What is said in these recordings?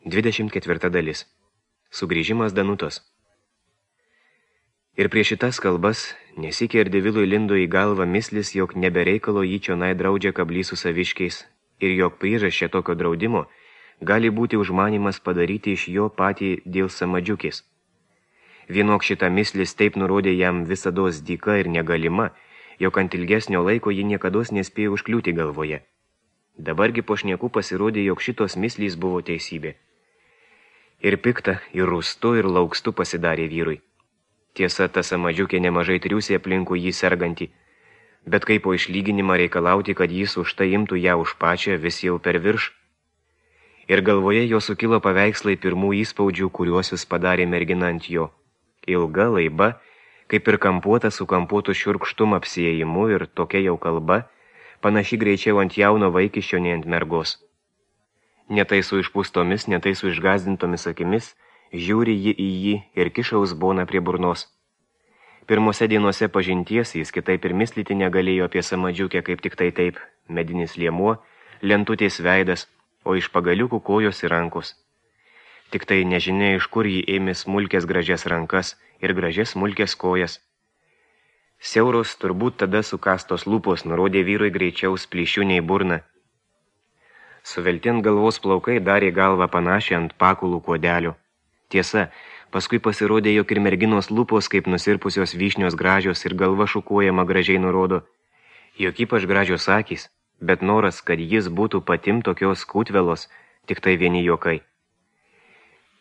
24 dalis. Sugrįžimas Danutos. Ir prieš šitas kalbas, nesikė Ardevilui lindo į galvą mislis, jog nebereikalo jį čionai draudžia kablys su saviškiais, ir jog priežasčia tokio draudimo gali būti užmanimas padaryti iš jo patį dėl samadžiukės. Vienok šitą mislis taip nurodė jam visados dyka ir negalima, jog ant ilgesnio laiko ji niekados nespėjo užkliūti galvoje. Dabargi po šniekų pasirodė, jog šitos mislys buvo teisybė. Ir pikta, ir rūstu, ir laukstu pasidarė vyrui. Tiesa, ta samadžiukė nemažai triūsė aplinkų jį sergantį, bet kaip po išlyginimą reikalauti, kad jis už tai imtų ją už pačią, vis jau per virš. Ir galvoje jo sukilo paveikslai pirmų įspaudžių, kuriuos jis padarė mergina ant jo. Ilga, laiba, kaip ir kampuota su kampuotu šiurkštum apsiejimu, ir tokia jau kalba, panaši greičiau ant jauno vaikiščio nei ant mergos. Netai su išpūstomis, netai su išgazdintomis akimis, žiūri ji į jį ir kiša uzboną prie burnos. Pirmose dienose pažinties jis kitaip ir mislyti negalėjo apie samadžiukę, kaip tik tai taip, medinis liemuo, lentutės veidas, o iš pagaliukų kojos ir rankos. Tik tai nežinia, iš kur jį ėmė smulkės gražias rankas ir gražias smulkės kojas. Siauros, turbūt tada sukastos lūpos nurodė vyrui greičiau splyšių nei burna. Suveltint galvos plaukai darė galvą panašią ant pakulų kuodelio. Tiesa, paskui pasirodė, jog ir merginos lūpos kaip nusirpusios vyšnios gražios ir galva šukuojama gražiai nurodo, jog ypač gražios akys, bet noras, kad jis būtų patim tokios kūtvelos, tik tai vieni juokai.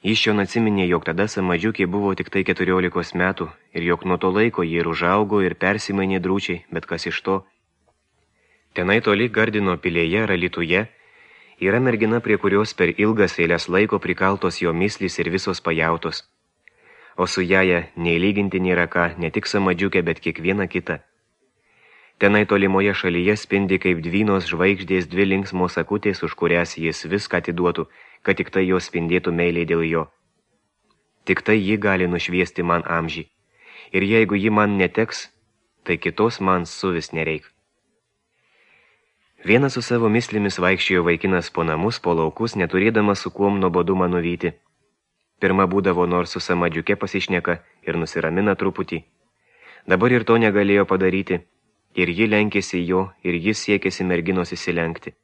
Jis šion atsiminė, jog tada samadžiukė buvo tik tai 14 metų ir jog nuo to laiko jie ir užaugo ir persimainė drūčiai, bet kas iš to. Tenai toli Gardino pilėje ar Alytuje yra mergina, prie kurios per ilgas eilės laiko prikaltos jo mislys ir visos pajautos. O su jaja nei lyginti nėra ką, ne tik samadžiukė, bet kiekviena kita. Tenai tolimoje šalyje spindi kaip dvynos žvaigždės dvi linksmos akutės, už kurias jis viską atiduotų, kad tik tai jos spindėtų meiliai dėl jo. Tik tai ji gali nušviesti man amžį. Ir jeigu ji man neteks, tai kitos man suvis nereik. Vienas su savo mislimis vaikščiojo vaikinas po namus, po laukus, neturėdamas su kuom nuobodumą nuvyti. Pirma būdavo nors su samadžiuke pasišneka ir nusiramina truputį. Dabar ir to negalėjo padaryti. Ir ji lenkėsi jo, ir jis siekėsi merginos įsilenkti.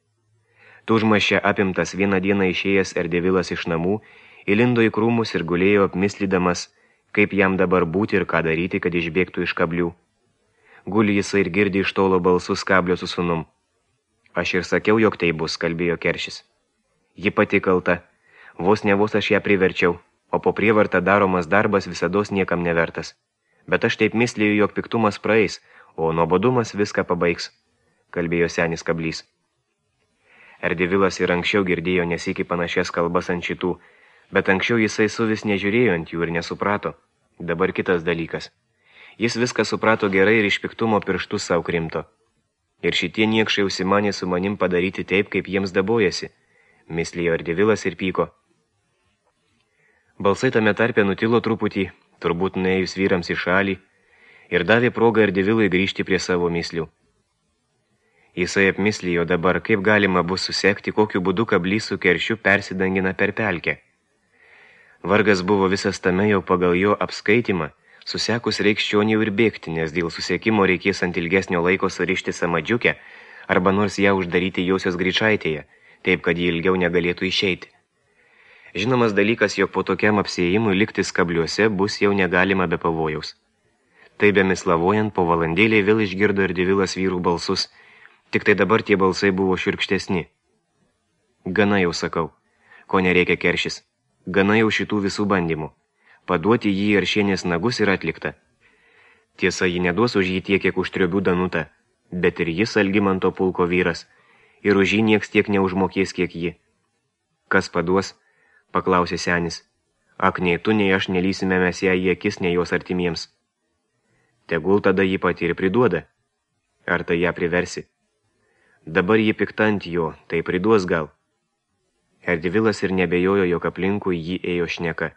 Tužmaščia apimtas vieną dieną išėjęs Ardevilas iš namų, įlindo į krūmus ir gulėjo apmislydamas, kaip jam dabar būti ir ką daryti, kad išbėgtų iš kablių. Guli jisai ir girdi iš tolo balsus kablio su sūnum. Aš ir sakiau, jog tai bus, kalbėjo Keršis. Ji pati kalta, vos ne vos aš ją priverčiau, o po prievartą daromas darbas visados niekam nevertas. Bet aš taip mislėjau, jog piktumas praeis, o nuobodumas viską pabaigs, kalbėjo senis kablys. Ardevilas ir anksčiau girdėjo nesikį panašias kalbas ant šitų, bet anksčiau jisai suvis nežiūrėjo ant jų ir nesuprato. Dabar kitas dalykas. Jis viską suprato gerai ir iš piktumo pirštus savo krimto. Ir šitie niekšai užsimanė su manim padaryti taip, kaip jiems dabojasi, mislėjo Ardevilas ir pyko. Balsai tame tarpe nutilo truputį, turbūt nuėjus vyrams į šalį, ir davė progą Ardevilui grįžti prie savo mislių. Jisai apmislijo dabar, kaip galima bus susekti, kokiu būdu kablys su Keršiu persidangina per pelkę. Vargas buvo visas tame jau pagal jo apskaitimą, susekus reiks čioniau ir bėgti, nes dėl susiekimo reikės ant ilgesnio laiko surišti samadžiukę arba nors ją uždaryti josios greičaitėje, taip kad ji ilgiau negalėtų išeiti. Žinomas dalykas, jog po tokiam apsiėjimui likti skabliuose bus jau negalima be pavojaus. Taip bemislavojant, po valandėlį vėl išgirdo Ardevilas vyrų balsus, tik tai dabar tie balsai buvo šiurkštesni. Gana jau sakau, ko nereikia Keršis, gana jau šitų visų bandymų. Paduoti jį į Aršienės nagus ir atlikta. Tiesa, ji neduos už jį tiek, kiek už Triobių Danutą, bet ir jis Algimanto pulko vyras, ir už jį nieks tiek neužmokės, kiek ji. Kas paduos? Paklausė senis. Ak, nei tu, nei aš nelysime mes ją į akis, nei jos artimiems. Tegul tada jį pati ir priduoda. Ar tai ją priversi? Dabar jį pikta ant jo, tai priduos gal. Ardevilas ir nebejojo, jog aplinkui jį ėjo šneka.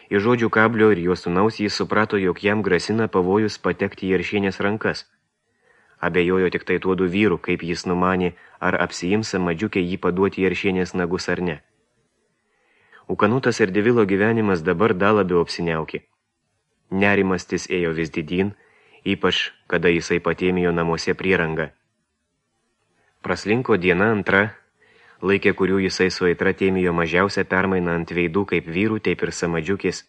Iš žodžių kablio ir jo sūnaus jis suprato, jog jam grasina pavojus patekti į Aršienės rankas. Abejojo tik tai tuodu vyru, kaip jis numanė, ar apsiims samadžiukę jį paduoti į Aršienės nagus ar ne. Ukanutas Erdevilo gyvenimas dabar dar labiau apsiniaukė. Nerimastis ėjo vis didyn, ypač kada jisai patėmijo namuose prierangą. Praslinko diena antra, laikė, kurių jisai su aitra tėmijo mažiausią permainą ant veidų kaip vyrų, taip ir samadžiukės.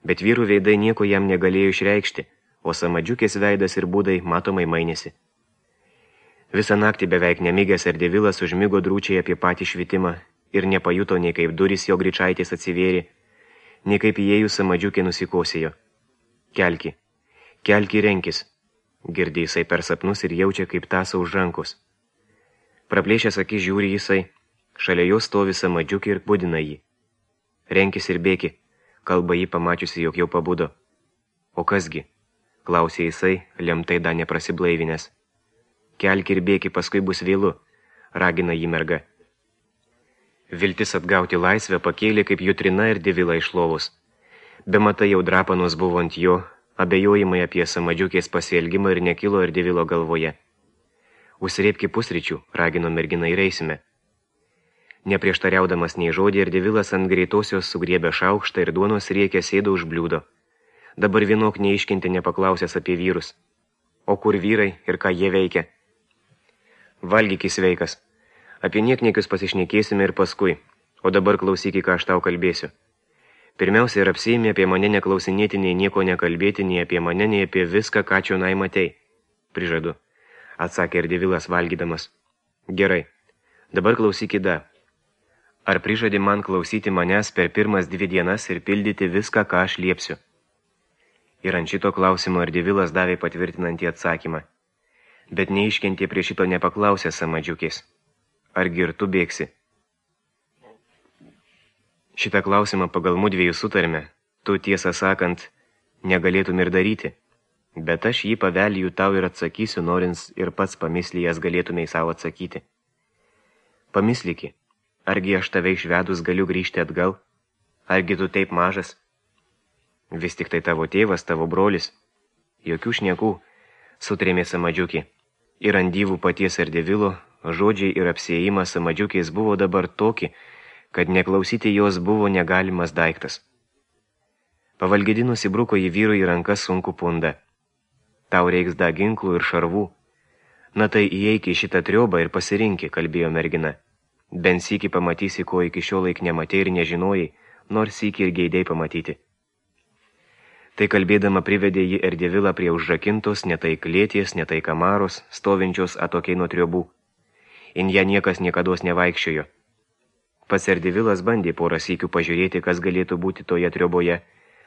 Bet vyrų veidai nieko jam negalėjo išreikšti, o samadžiukės veidas ir būdai matomai mainėsi. Visą naktį beveik nemigęs Erdevilas užmigo drūčiai apie patį švitimą ir nepajuto nei kaip durys jo greičaitės atsivėrė, nei kaip įėjus samadžiukė nusikosėjo. Kelki, kelki renkis, girdė jisai per sapnus ir jaučia kaip tąsa už rankos. Praplėšęs akis žiūri jisai, šalia jo stovi samadžiukė ir budina jį. Renkis ir bėki, kalba jį pamačiusi, jog jau pabudo. O kasgi, klausė jisai, lemtai dar neprasiblaivinęs. Kelki ir bėki, paskui bus vėlu, ragina jį merga. Viltis atgauti laisvę pakėlė kaip jutrina ir Erdevilą iš lovos. Bematai jau drapanos buvo ant jo, abejojimai apie samadžiukės pasielgimą ir nekilo Erdevilo galvoje. Užsirėpki pusryčių, ragino mergina ir eisime. Neprieštariaudamas nei žodį, Erdevilas ant greitosios sugriebė šaukštą ir duonos riekę sėdo už bliūdo. Dabar vienok neiškinti nepaklausęs apie vyrus. O kur vyrai ir ką jie veikia? Valgyk sveikas. Apie niekniekius pasišnekėsime ir paskui, o dabar klausyk, ką aš tau kalbėsiu. Pirmiausia, ir apsiėmė apie mane neklausinėti, nei nieko nekalbėti, nei apie mane, nei apie viską, ką čionai matei. Prižadu, atsakė Erdevilas valgydamas. Gerai, dabar klausyk da. Ar prižadi man klausyti manęs per pirmas 2 dienas ir pildyti viską, ką aš liepsiu? Ir ant šito klausimo Erdevilas davė patvirtinantį atsakymą. Bet neiškentė prie šito nepaklausė samadžiukės. Argi ir tu bėgsi? Šitą klausimą pagal mudviejų sutarme, tu tiesą sakant, negalėtum ir daryti, bet aš jį pavelyju tau ir atsakysiu, norins ir pats pamislyjas galėtumei savo atsakyti. Pamislyki, argi aš tave išvedus galiu grįžti atgal? Argi tu taip mažas? Vis tik tai tavo tėvas, tavo brolis. Jokių šnekų, sutrėmė samadžiukė. Ir ant dyvų paties Erdevilo žodžiai ir apsiėjimas samadžiukės buvo dabar toki, kad neklausyti jos buvo negalimas daiktas. Pavalgydinus įbruko į vyrų į rankas sunku pundą. Tau reiks da ginklų ir šarvų. Na tai įeik į šitą triobą ir pasirinki, kalbėjo mergina. Bent sykį pamatysi, ko iki šiol laik nematei ir nežinojai, nors sykį ir geidei pamatyti. Tai kalbėdama privedė jį Erdevilą prie užrakintos, netai klėties, netai kamaros, stovinčios atokiai nuo triobų. In ją niekas niekados nevaikščiojo. Pats Erdevilas bandė porą sykių pažiūrėti, kas galėtų būti toje trioboje,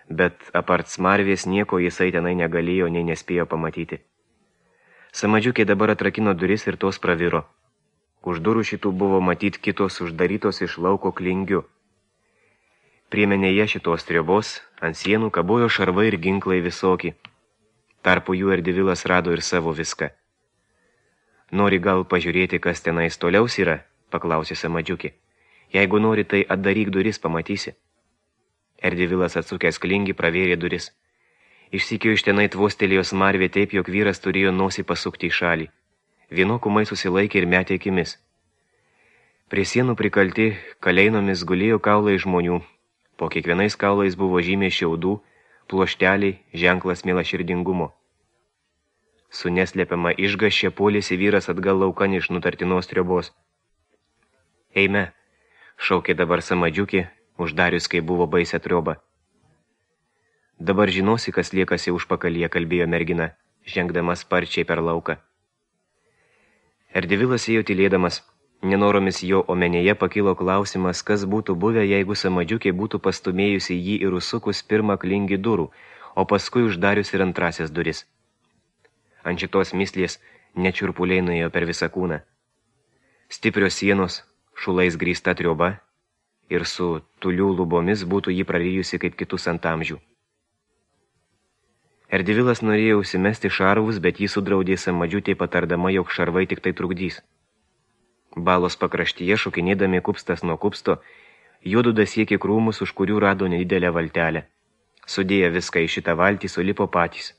bet apart smarvės nieko jisai tenai negalėjo, nei nespėjo pamatyti. Samadžiukė dabar atrakino duris ir tos praviro. Už durų šitų buvo matyti kitos uždarytos iš lauko klingiu. Priemenėje šitos triobos ant sienų kabojo šarvai ir ginklai visoki. Tarpu jų Erdevilas rado ir savo viską. Nori gal pažiūrėti, kas tenais toliaus yra, paklausė samadžiukė. Jeigu nori, tai atdaryk duris, pamatysi. Erdevilas atsukęs klingį pravėrė duris. Išsikio iš tenai tvostelėjo smarvė taip, jog vyras turėjo nosį pasukti į šalį. Vienokumai susilaikė ir metė akimis. Prie sienų prikalti kaleinomis gulėjo kaulai žmonių. Po kiekvienais kaulais buvo žymė šiaudų, pluošteliai, ženklas mielaširdingumo. Su neslėpiama išgaščia puolėsi vyras atgal laukan iš nutartinos triobos. Eime, šaukė dabar samadžiukė, uždarius, kai buvo baisę triobą. Dabar žinosi, kas liekasi užpakalyje, kalbėjo mergina, žengdama sparčiai per lauką. Erdevilas ėjo tylėdamas. Nenoromis jo omenyje pakilo klausimas, kas būtų buvę, jeigu samadžiukė būtų pastumėjusi jį ir užsukus pirmą klingį durų, o paskui uždarius ir antrasias duris. Ant šitos mislės nečiurpuliai nuėjo per visą kūną. Stiprios sienos, šulais grįsta trioba ir su tulių lubomis būtų jį prarijusi kaip kitus ant amžių. Erdevilas norėjo užsimesti šarvus, bet jį sudraudė samadžiutė patardama, jog šarvai tik tai trukdys. Balos pakraštyje, šokinėdami kupstas nuo kupsto, juodu dasiekė krūmus, už kurių rado nedidelę valtelę. Sudėję viską į šitą valtį, sulipo patys.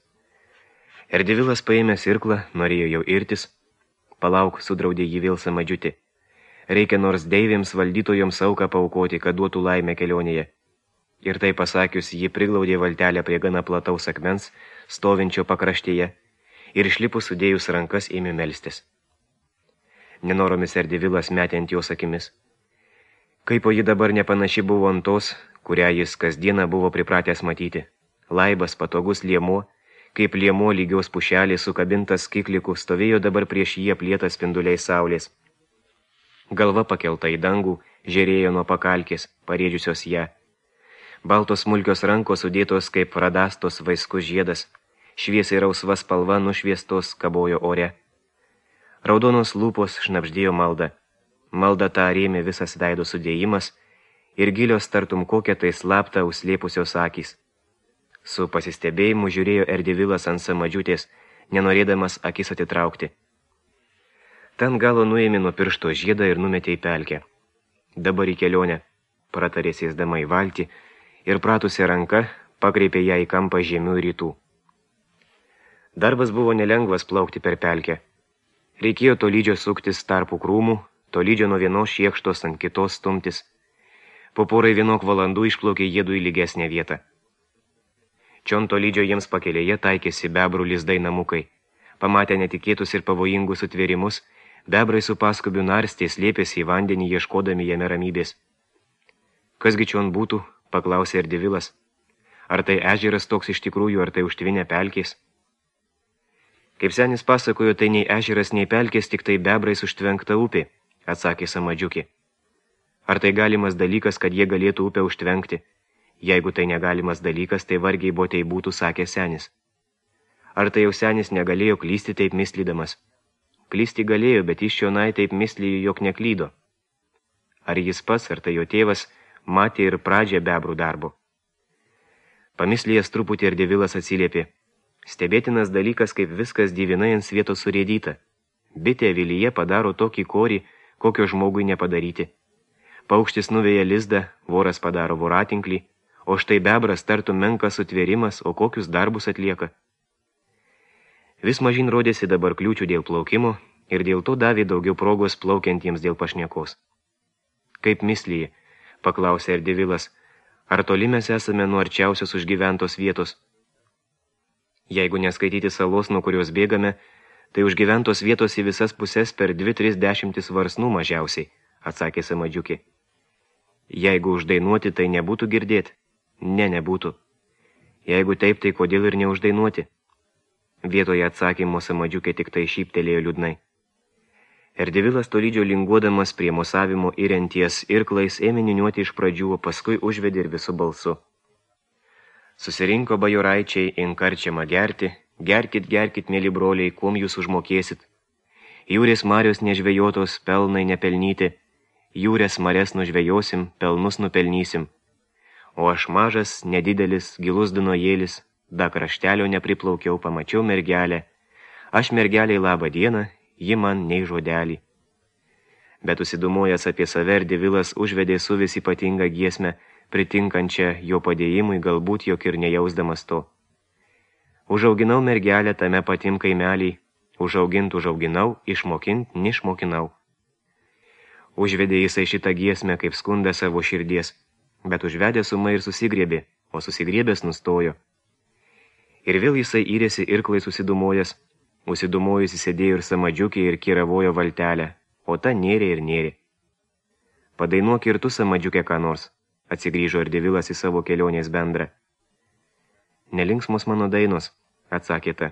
Erdevilas paėmė irklą, norėjo jau irtis. Palauk, sudraudė jį vėl samadžiutė. Reikia nors deivėms valdytojoms auką paaukoti, kad duotų laimę kelionėje. Ir tai pasakius, ji priglaudė valtelę prie gana plataus akmens, stovinčio pakraštyje, ir išlipus sudėjus rankas ėmė melstis. Nenoromis Erdevilas metė ant jos akimis. Kaipo ji dabar nepanaši buvo ant tos, kurią jis kasdieną buvo pripratęs matyti. Laibas, patogus liemuo, kaip liemuo lygios pušelės sukabintas kiklikų, stovėjo dabar prieš jį aplietas spinduliais saulės. Galva pakelta į dangų, žėrėjo nuo pakalkės, parėdžiusios ją. Baltos smulkios rankos sudėtos kaip radastos vaiskus žiedas, šviesiai rausva spalva nušviestos kabojo ore. Raudonos lūpos šnabždėjo maldą. Maldą tą rėmė visas veido sudėjimas ir gilios tartum kokią tai slaptą užslėpusios akys. Su pasistebėjimu žiūrėjo Erdevilas ant samadžiutės, nenorėdamas akis atitraukti. Ten galo nuėmė nuo piršto žiedą ir numetė į pelkę. Dabar į kelionę, pratarė sėsdama į valtį ir pratusią ranką pakreipė ją į kampą žemių rytų. Darbas buvo nelengvas plaukti per pelkę. Reikėjo tolydžio suktis tarpų krūmų, tolydžio nuo vienos šiekštos ant kitos stumtis. Po porai vienok valandų išplaukė jėdu į lygesnę vietą. Čion tolydžio jiems pakelėje taikėsi bebrų lizdai namukai. Pamatę netikėtus ir pavojingus sutvėrimus, bebrai su paskubiu narstė slėpėsi į vandenį, ieškodami jame ramybės. Kasgi čion būtų, paklausė Erdevilas. Ar tai ežeras toks iš tikrųjų, ar tai užtvinę pelkės? Kaip senis pasakojo, tai nei ežeras, nei pelkės, tik tai bebrais užtvenkta upė, atsakė samadžiukė. Ar tai galimas dalykas, kad jie galėtų upę užtvenkti? Jeigu tai negalimas dalykas, tai vargiai botei būtų, sakė senis. Ar tai jau senis negalėjo klysti taip mislydamas? Klysti galėjo, bet iš čionai taip mislyjo, jog neklydo. Ar jis pats, ar tai jo tėvas, matė ir pradžią bebrų darbo? Pamislėjęs truputį Erdevilas atsiliepė. Stebėtinas dalykas, kaip viskas divinai ant svietos surėdyta. Bitė avilyje padaro tokį korį, kokio žmogui nepadaryti. Paukštis nuveja lizdą, voras padaro voratinklį, o štai bebras tartum menkas sutvėrimas, o kokius darbus atlieka. Vis mažin rodėsi dabar kliūčių dėl plaukimo ir dėl to davė daugiau progos plaukiantiems dėl pašnekos. Kaip mislyje, paklausė Erdevilas, ar toli mes esame nuo arčiausios užgyventos vietos? Jeigu neskaityti salos, nuo kurios bėgame, tai užgyventos vietos į visas puses per 2-3 varsnų mažiausiai, atsakė samadžiukė. Jeigu uždainuoti, tai nebūtų girdėti? Ne, nebūtų. Jeigu taip, tai kodėl ir neuždainuoti? Vietoje atsakymo samadžiukė tik tai šyptelėjo liūdnai. Erdevilas tolydžio linguodamas prie mosavimo įrenties irklais ėmė niūniuoti iš pradžių, o paskui užvedė ir visu balsu. Susirinko bajoraičiai inkarčiamą gerti, gerkit, gerkit, mėly broliai, kuom jūs užmokėsit. Jūrės marios nežvejotos, pelnai nepelnyti, jūrės marias nužvejosim, pelnus nupelnysim. O aš mažas, nedidelis, gilus dunojėlis, da kraštelio nepriplaukiau, pamačiau mergelę. Aš mergeliai labą dieną, ji man nei žodelį. Bet užsidumojęs apie save, Erdevilas užvedė su vis ypatingą giesmę, pritinkančią jo padėjimui, galbūt jog ir nejausdamas to. Užauginau mergelę tame patim kaimelį, užauginau, išmokint, nišmokinau. Užvedė jisai šitą giesmę kaip skundą savo širdies, bet užvedė sumai ir susigriebė, o susigriebęs nustojo. Ir vėl jisai įrėsi irklai susidumojęs, užsidumojusi sėdėjo ir samadžiukė ir kiravojo valtelę, o ta nėrė ir nėrė. Padainuok ir tu, samadžiukė, ką nors, atsigrįžo Erdevilas į savo kelionės bendrą. Nelinksmos mano dainos, atsakė ta,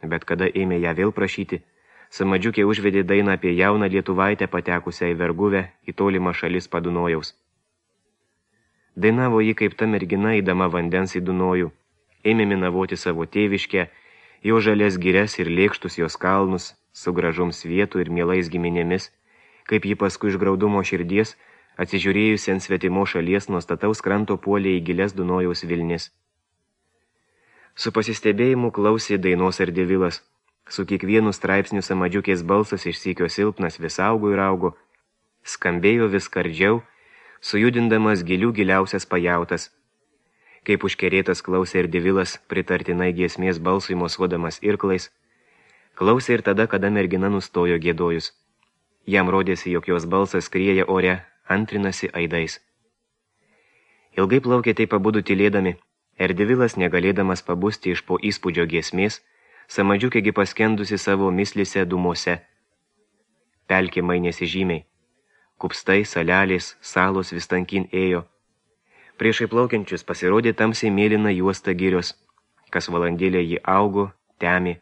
bet kada ėmė ją vėl prašyti, samadžiukė užvedė dainą apie jauną lietuvaitę patekusią į verguvę į tolimą šalis Padunojaus. Dainavo ji kaip ta mergina įdama vandens į Dunojų, ėmė minavoti savo tėviškę, jo žalias girias ir lėkštus jos kalnus, su gražum svietų ir mielais giminėmis, kaip ji paskui iš graudumo širdies, atsižiūrėjusi ant svetimo šalies nuo stataus kranto puolė į gilias Dunojaus vilnis. Su pasistebėjimu klausė dainos Erdevilas. Su kiekvienu straipsniu samadžiukės balsas iš sykio silpnas vis augo ir augo, skambėjo vis skardžiau, sujudindamas giliausias pajautas. Kaip užkerėtas klausė Erdevilas, pritartinai giesmės balsui mosuodamas irklais, klausė ir tada, kada mergina nustojo giedojus. Jam rodėsi, jog jos balsas skrieja ore, antrinasi aidais. Ilgai plaukė taip pabudu tylėdami, Erdevilas, negalėdamas pabusti iš po įspūdžio giesmės, Samadžiukėgi paskendusi savo mislise dūmose. Pelkė mainėsi žymiai. Kupstai, salelės, salos vis tankin ėjo. Priešai plaukiančius pasirodė tamsiai mėlyna juosta girios, kas valandėlė jį augo, temė.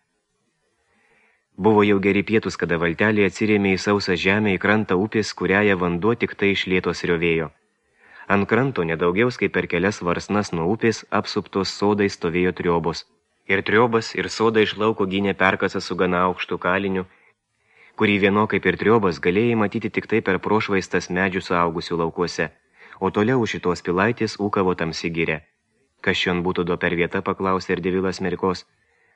Buvo jau geri pietus, kada valtelė atsirėmė į sausą žemę į krantą upės, kuriąją vanduo tik tai iš lėtos riovėjo. Ant kranto nedaugiaus kaip per kelias varsnas nuo upės apsuptos sodai stovėjo triobos. Ir triobas, ir soda iš lauko gynė perkasą su gana aukštu kaliniu, kurį vieno kaip ir triobas galėjai matyti tik tai per prošvaistas medžių suaugusių laukuose, o toliau už šitos pilaitės ūkavo tamsi giria. Kas šion būtų do per vieta, paklausė Erdevilas Merkos.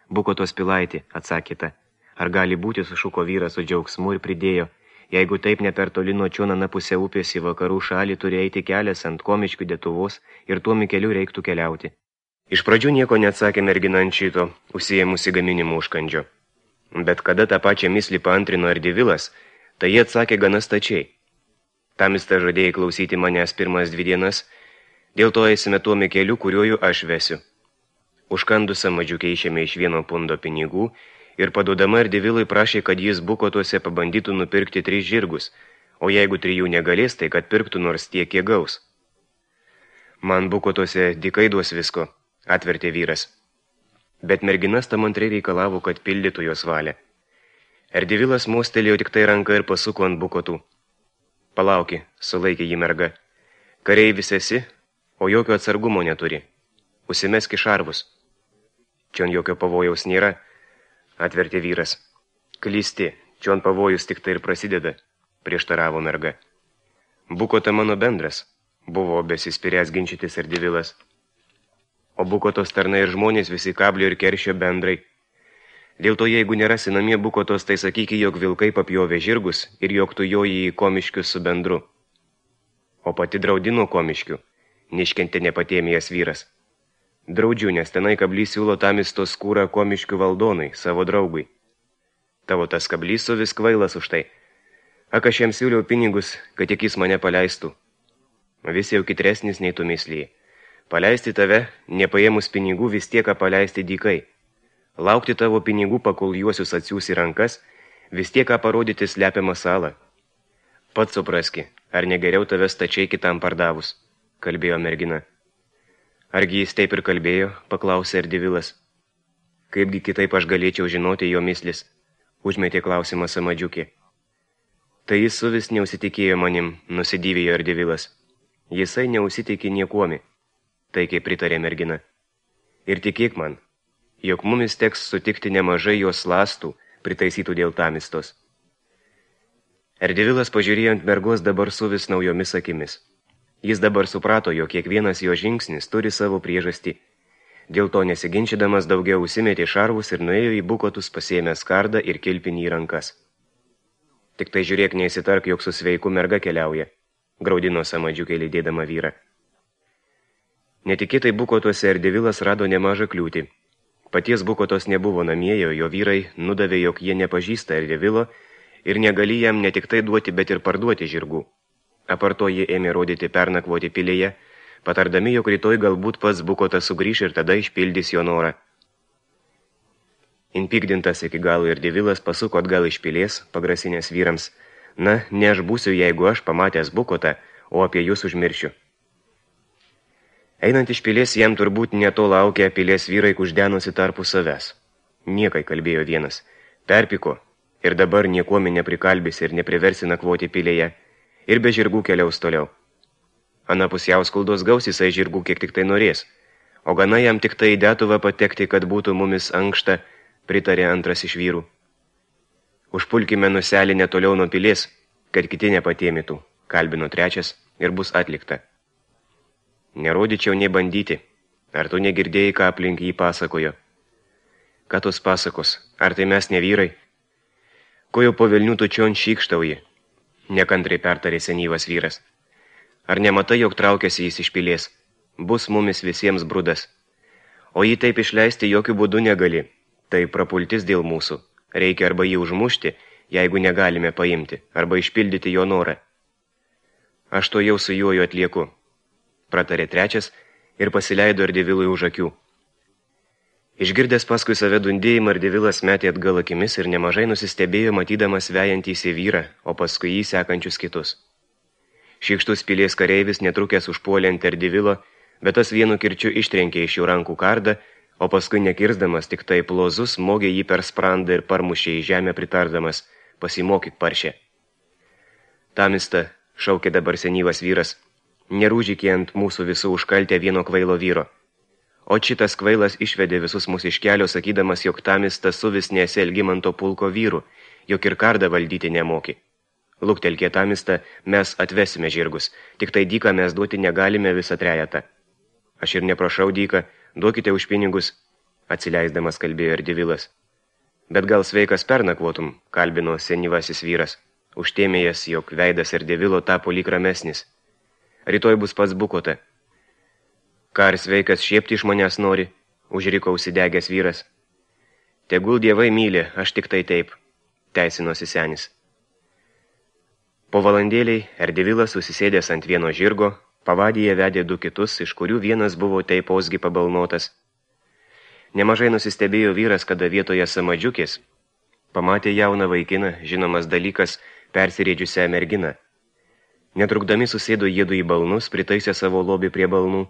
Bukotos pilaitė, atsakyta. Ar gali būti, sušuko vyras su džiaugsmu ir pridėjo. Jeigu taip ne per toli nuo čion anapusę upės į vakarų šalį turi eiti kelias ant Komiškių Detuvos ir tuo keliu reiktų keliauti. Iš pradžių nieko neatsakė mergina ant šito, užsiėmusi gaminimu užkandžio. Bet kada tą pačią mislį paantrino Erdevilas, tai jie atsakė gana stačiai. Tamista žadėjai klausyti manęs pirmas 2 dienas, dėl to eisime tuo keliu, kuriuoju aš vesiu. Užkandus Samadžiukė išėmė iš 1 pundo pinigų ir paduodama Erdevilui prašė, kad jis Bukotuose pabandytų nupirkti 3 žirgus, o jeigu 3 negalės, tai kad pirktų nors tiek, kiek gaus. Man Bukotuose dykai duos visko, atvertė vyras. Bet merginas tam antrai reikalavo, kad pildytų jos valią. Erdevilas mostelėjo tik tai ranką ir pasuko ant Bukotų. Palauki, sulaikė jį merga. Kareivis esi, o jokio atsargumo neturi. Užsimeski šarvus. Čion jokio pavojaus nėra, atvertė vyras. Klysti, čion pavojus tik tai ir prasideda, prieštaravo merga. Bukota mano bendras, buvo besispiręs ginčytis Erdevilas. O Bukotos tarnai ir žmonės visi kablio ir keršio bendrai. Dėl to, jeigu nerasi namie Bukotos, tai sakyki, jog vilkai papjovė žirgus ir jog tu joji į Komiškius su bendru. O pati draudino Komiškių, neiškentė nepatėmėjęs vyras. Draudžiu, nes tenai kablys siūlo Tamisto skūrą Komiškių valdonai, savo draugui. Tavo tas kablys su vis kvailas už tai. Ak, aš jam siūliau pinigus, kad tik jis mane paleistų. Vis jau kitresnis nei tu mislijai. Paleisti tave, nepaėmus pinigų, vis tiek paleisti dykai. Laukti tavo pinigų, pakol juosius atsiūs į rankas, vis tiek parodyti slepiamą salą. Pats supraski, ar negeriau tave stačiai kitam pardavus, kalbėjo mergina. Argi jis taip ir kalbėjo, paklausė Erdevilas. Kaipgi kitaip aš galėčiau žinoti jo mislis, užmetė klausimą Samadžiukė. Tai jis suvis neusitikėjo manim, nusidivėjo Erdevilas. Jisai neusitikė niekuomi. Taikiai pritarė mergina. Ir tikėk man, jog mumis teks sutikti nemažai jos lastų, pritaisytų dėl Tamistos. Erdevilas pažiūrėjo ant mergos dabar su vis naujomis akimis. Jis dabar suprato, jog kiekvienas jo žingsnis turi savo priežastį. Dėl to nesiginčydamas daugiau užsimetė šarvus ir nuėjo į Bukotus, pasėmęs kardą ir kilpinį į rankas. Tik tai žiūrėk, neįsitark, jog su sveiku merga keliauja, graudino Samadžiukė lydėdama vyrą. Netikėtai Bukotuose Erdevilas rado nemažą kliūtį. Paties Bukotos nebuvo namie, jo vyrai nudavė, jog jie nepažįsta Erdevilo ir negali jam ne tik tai duoti, bet ir parduoti žirgų. Aparto jie ėmė rodyti pernakvoti pilėje, patardami, jog rytoj galbūt pats Bukotas sugrįš ir tada išpildys jo norą. Inpikdintas iki galo Erdevilas pasuko atgal iš pilės, pagrasinės vyrams. Na, ne aš būsiu, jeigu aš pamatęs Bukotą, o apie jūs užmiršiu. Einant iš pilės, jam turbūt neto laukia pilės vyrai kuždenosi tarpu savęs. Niekai, kalbėjo vienas. Perpiko ir dabar niekuomi neprikalbės ir nepriversi nakvoti pilėje ir be žirgų keliaus toliau. Anapus Jauskuldos gaus jisai žirgų kiek tik tai norės, o gana jam tik tai į Detuvą patekti, kad būtų mumis ankšta, pritarė antras iš vyrų. Užpulkime nuselį netoliau nuo pilės, kad kiti nepatėmytų, kalbino trečias ir bus atlikta. Nerodyčiau nei bandyti. Ar tu negirdėjai, ką aplink jį pasakojo? Ką tos pasakos? Ar tai mes ne vyrai? Ko jau po velnių tu čion šykštauji? Nekantrai pertarė senyvas vyras. Ar nematai, jog traukiasi jis iš pilės? Bus mumis visiems brudas. O jį taip išleisti jokių būdų negali. Tai prapultis dėl mūsų. Reikia arba jį užmušti, jeigu negalime paimti arba išpildyti jo norą. Aš to jau su juoju atlieku, pratarė trečias ir pasileido Ardevilui už akių. Išgirdęs paskui save dundėjimą, Ardevilas metė atgal akimis ir nemažai nusistebėjo, matydamas vejantįsį vyrą, o paskui jį sekančius kitus. Šykštus pilies kareivis netrukęs užpuolė ant Ardevilo, bet tas vienu kirčiu ištrenkė iš jų rankų kardą, o paskui nekirsdamas tik tai plozus smogė jį per sprandą ir parmušė į žemę pritardamas, pasimokyk paršė. Tamista, šaukė dabar senyvas vyras, nerūžykė ant mūsų visų užkaltę vieno kvailo vyro. O šitas kvailas išvedė visus mūsų iš kelio, sakydamas, jog Tamista suvis nesi Algimanto pulko vyrų, jog ir kardą valdyti nemoki. Luktelkė Tamista, mes atvesime žirgus, tik tai dyką mes duoti negalime visą trejetą. Aš ir neprašau dyką, duokite už pinigus, atsileisdamas kalbėjo Ardevilas. Bet gal sveikas pernakvotum, kalbino senyvasis vyras, užtėmėjęs, jog veidas Ardevilo tapo lyg ramesnis. Rytoj bus pats bukota. Ką ar sveikas šiepti iš manęs nori, užriko užsidegęs vyras. Tegul dievai myli, aš tik tai taip, teisinosi senis. Po valandėliai Ardevilas susisėdęs ant vieno žirgo, pavadyje vedė du kitus, iš kurių vienas buvo taiposgi pabalnotas. Nemažai nusistebėjo vyras, kada vietoje samadžiukės pamatė jauną vaikiną, žinomas dalykas, persirėdžiusią merginą. Netrukdami susėdo jiedu į balnus, pritaisė savo lobį prie balnų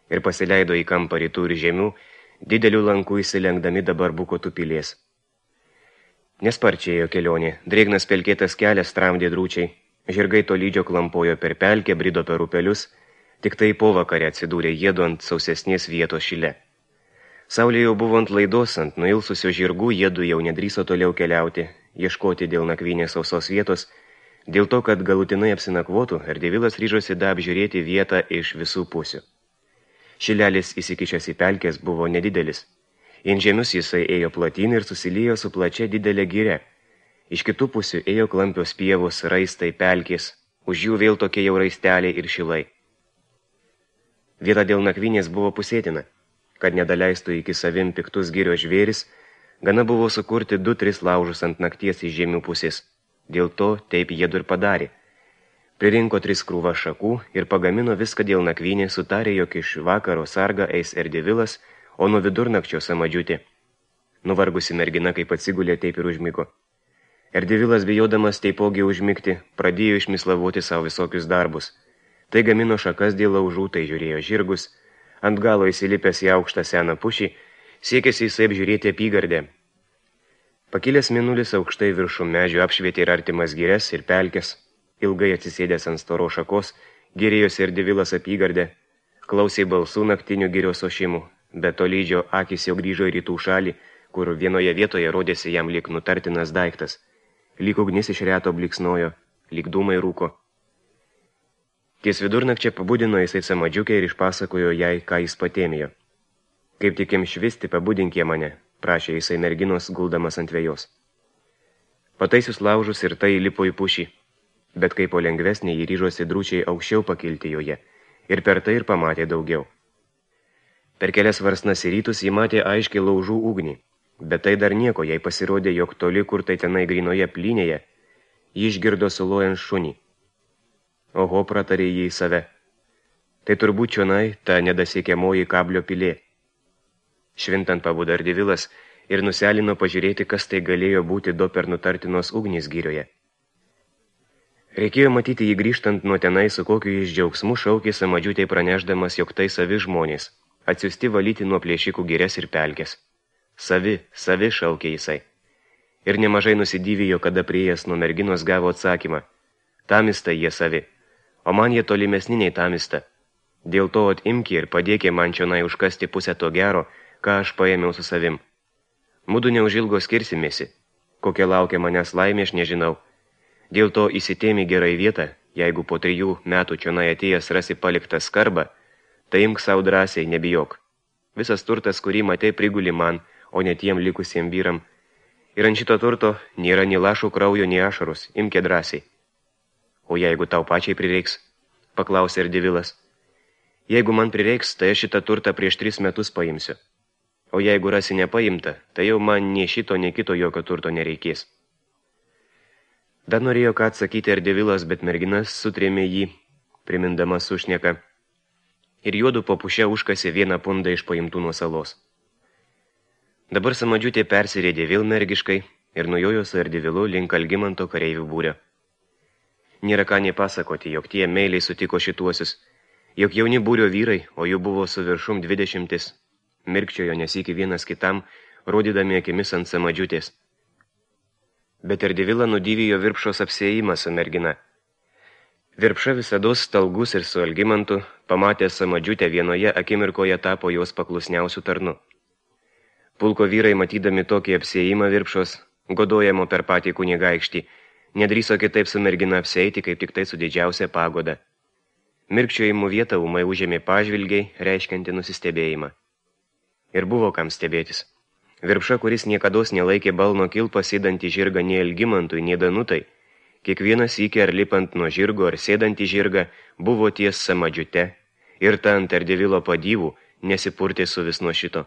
ir pasileido į kampą rytų ir žemių, didelių lankų įsilenkdami dabar bukotų pilies. Nesparčiėjo kelionė, drėgnas pelkėtas kelias tramdė drūčiai, žirgai tolydžio klampojo per pelkę, brido per upelius, tik tai po vakarę atsidūrė jiedu ant sausesnės vietos šile. Saulė jau buvo ant laidos, ant nuilsusio žirgų jiedu jau nedrįso toliau keliauti, ieškoti dėl nakvynės sausos vietos, dėl to, kad galutinai apsinakvotų, Ardevilas ryžosi apžiūrėti vietą iš visų pusių. Šilelis įsikišęs į pelkės buvo nedidelis. In žemius jisai ėjo platyn ir susiliejo su plačia didelė gire. Iš kitų pusių ėjo klampios pievos, raistai, pelkės, už jų vėl tokie jau raisteliai ir šilai. Vieta dėl nakvynės buvo pusėtina, kad nedaleistų iki savim piktus girios žvėris, gana buvo sukurti 2-3 laužus ant nakties iš žemių pusės. Dėl to taip jiedu ir padarė. Pririnko 3 krūvą šakų ir pagamino viską dėl nakvynės, sutarė, jog iš vakaro sargą eis Ardevilas, o nuo vidurnakčio samadžiutė. Nuvargusi mergina, kaip atsigulė, taip ir užmigo. Ardevilas, bijodamas taipogi užmigti, pradėjo išmislavoti savo visokius darbus. Tai gamino šakas dėl laužų, tai žiūrėjo žirgus, ant galo įsilipęs į aukštą seną pušį, siekėsi jisai apžiūrėti apygardę. Pakilęs mėnulis aukštai viršų medžių apšvietė ir artimas girias ir pelkes. Ilgai atsisėdęs ant storo šakos, gyrėjosi Ardevilas apygardę, klausė balsų naktinių girios ošimų, bet tolydžio akis jau grįžo į rytų šalį, kur vienoje vietoje rodėsi jam lyg nutartinas daiktas, lyg ugnis iš reto bliksnojo, lyg dūmai rūko. Ties vidurnakčia pabudino jisai samadžiukę ir išpasakojo jai, ką jis patėmėjo. Kaip tik švisti, pabudinkė mane, prašė jisai merginos, guldamas ant vejos. Pataisius laužus ir tai lipo į pušį. Bet kaip po lengvesnė jį ryžosi drūčiai aukščiau pakilti joje, ir per tai ir pamatė daugiau. Per kelias varsnas į rytus jį matė aiškiai laužų ugnį, bet tai dar nieko, jai pasirodė, jog toli, kur tai tenai grinoje plynėje, jį išgirdo sulojant šunį. Oho, pratarė jį į save. Tai turbūt čionai ta nedasiekiamoji kablio pilė. Švintant pabudo Ardevilas ir nuselino pažiūrėti, kas tai galėjo būti do per nutartinos ugnys girioje. Reikėjo matyti jį grįžtant nuo tenai, su kokiu jis džiaugsmu šaukė samadžiutei pranešdamas, jog tai savi žmonės, atsiųsti valyti nuo plėšikų girias ir pelkės. Savi šaukė jisai. Ir nemažai nusidyvijo, kada priėjęs nuo merginos gavo atsakymą. Tamista jie savi, o man jie tolimesni nei Tamista. Dėl to atimki ir padėkė man čionai užkasti pusę to gero, ką aš paėmiau su savim. Mudu neužilgo skirsimėsi. Kokia laukia manęs laimė, aš nežinau. Dėl to įsitėmi gerai vietą, jeigu po 3 metų čionai atėjęs rasi paliktą skarbą, tai imk savo drąsiai, nebijok. Visas turtas, kurį matei, priguli man, o ne tiem likusiem vyram. Ir ant šito turto nėra nei lašų kraujo, nei ašarus, imkė drąsiai. O jeigu tau pačiai prireiks, paklausė Ardevilas. Jeigu man prireiks, tai aš šitą turtą prieš 3 metus paimsiu. O jeigu rasi nepaimta, tai jau man nei šito, nei kito jokio turto nereikės. Dar norėjo ką atsakyti Ardevilas, bet merginas sutrėmė jį, primindama sušneką, ir juodu po puše užkasė vieną pundą iš paimtų nuo salos. Dabar Samadžiutė persirėdė vėl mergiškai ir nujojo su Ardevilu link Algimanto kareivių būrio. Nėra ką nepasakoti, jog tie meiliai sutiko šituosius, jog jauni būrio vyrai, o jų buvo su viršum 20, mirkčiojo nesykį vienas kitam, rodydami akimis ant Samadžiutės. Bet Ardevilą nudyvijo Virpšos apsėjimas su mergina. Virpša visados stalgus ir su Algimantu, pamatė Samadžiutę vienoje akimirkoje tapo jos paklusniausių tarnu. Pulko vyrai, matydami tokį apsėjimą Virpšos, godojamo per patį kunigaikštį, nedrįso kitaip su mergina apseiti, kaip tik tai su didžiausia pagoda. Mirkčiojimų vietą ūmai užėmė pažvilgiai, reiškianti nusistebėjimą. Ir buvo kam stebėtis. Virpša, kuris niekados nelaikė balno kilpą sėdantį žirgą nei Algimantui, nei Danutai, kiekvienas sykį ar lipant nuo žirgo ar sėdantį žirgą buvo ties Samadžiute ir ta ant Ardevilo padyvų nesipurtė su vis nuo šito.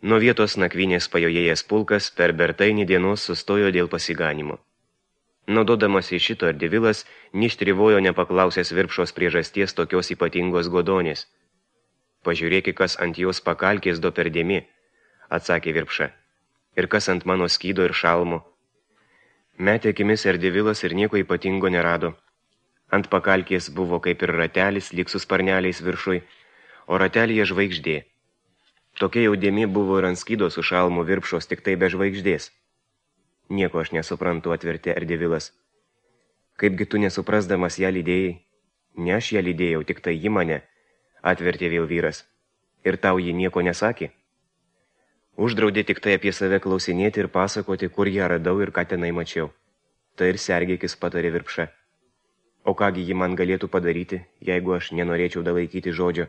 Nuo vietos nakvynės pajojėjęs pulkas per Bertainį dienos sustojo dėl pasiganimo. Naudodamas į šito Ardevilas ništrivojo nepaklausęs Virpšos priežasties tokios ypatingos godonės. Pažiūrėki, kas ant jos pakalkės do perdėmi, atsakė Virpša, ir kas ant mano skydo ir šalmo. Metė akimis Ardevilas ir nieko ypatingo nerado. Ant pakalkės buvo kaip ir ratelis, lyg su sparneliais viršui, o ratelyje žvaigždė. Tokia jau dėmė buvo ir ant skydo su šalmu Virpšos, tik tai be žvaigždės. Nieko aš nesuprantu, atvertė Ardevilas. Kaipgi tu nesuprasdamas ją lydėjai? Ne aš ją lydėjau, tik tai ji mane, atvertė vėl vyras. Ir tau ji nieko nesakė? Uždraudė tik tai apie save klausinėti ir pasakoti, kur ją radau ir ką tenai mačiau. Tai ir sergėkis, patarė Virpša. O kągi ji man galėtų padaryti, jeigu aš nenorėčiau dalaikyti žodžio?